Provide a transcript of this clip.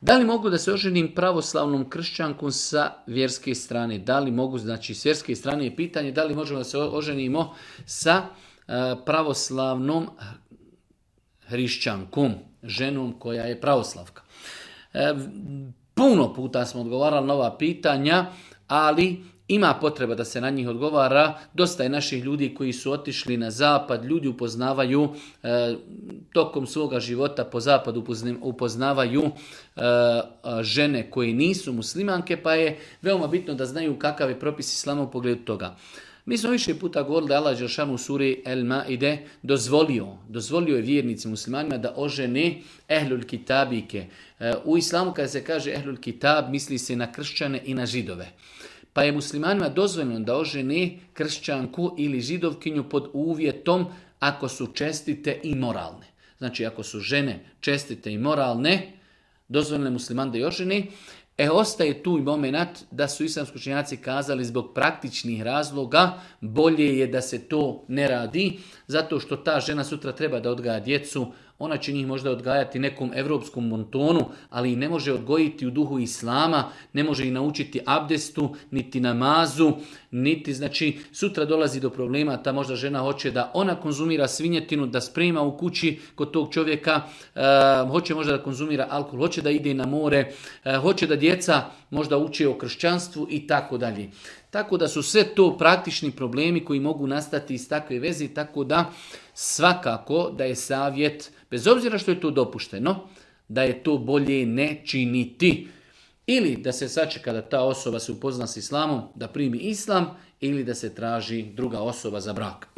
Da li mogu da se oženim pravoslavnom kršćankom sa vjerske strane? Da li mogu, znači s vjerske strane je pitanje da li možemo da se oženimo sa pravoslavnom hrišćankom, ženom koja je pravoslavka. Puno puta smo odgovarali na ova pitanja, ali ima potreba da se na njih odgovara. Dosta je naših ljudi koji su otišli na zapad, ljudi upoznavaju tokom svoga života po zapadu, upoznavaju žene koje nisu muslimanke, pa je veoma bitno da znaju kakav je propis islama u pogledu toga. Mi smo više puta govorili da Allah dželešanu u suri El Maide dozvolio je vjernicima muslimanima da ožene ehlul kitabike. U islamu kada se kaže ehlul kitab misli se na kršćane i na židove. Pa je muslimanima dozvoljeno da ožene kršćanku ili židovkinju pod uvjetom ako su čestite i moralne. Znači ako su žene čestite i moralne, dozvoljeno je musliman da je ožene. Ostaje tu i moment da su islamski učenjaci kazali zbog praktičnih razloga bolje je da se to ne radi, zato što ta žena sutra treba da odgaja djecu, ona će njih možda odgajati nekom evropskom montonu, ali i ne može odgojiti u duhu islama, ne može ih naučiti abdestu, niti namazu, niti, znači, sutra dolazi do problema, ta možda žena hoće da ona konzumira svinjetinu, da sprema u kući kod tog čovjeka, hoće možda da konzumira alkohol, hoće da ide na more, hoće da djeca možda uče o kršćanstvu i tako dalje. Tako da su sve to praktični problemi koji mogu nastati iz takve veze, tako da svakako da je savjet, bez obzira što je to dopušteno, da je to bolje ne činiti. Ili da se sačeka da ta osoba se upozna s islamom, da primi islam, ili da se traži druga osoba za brak.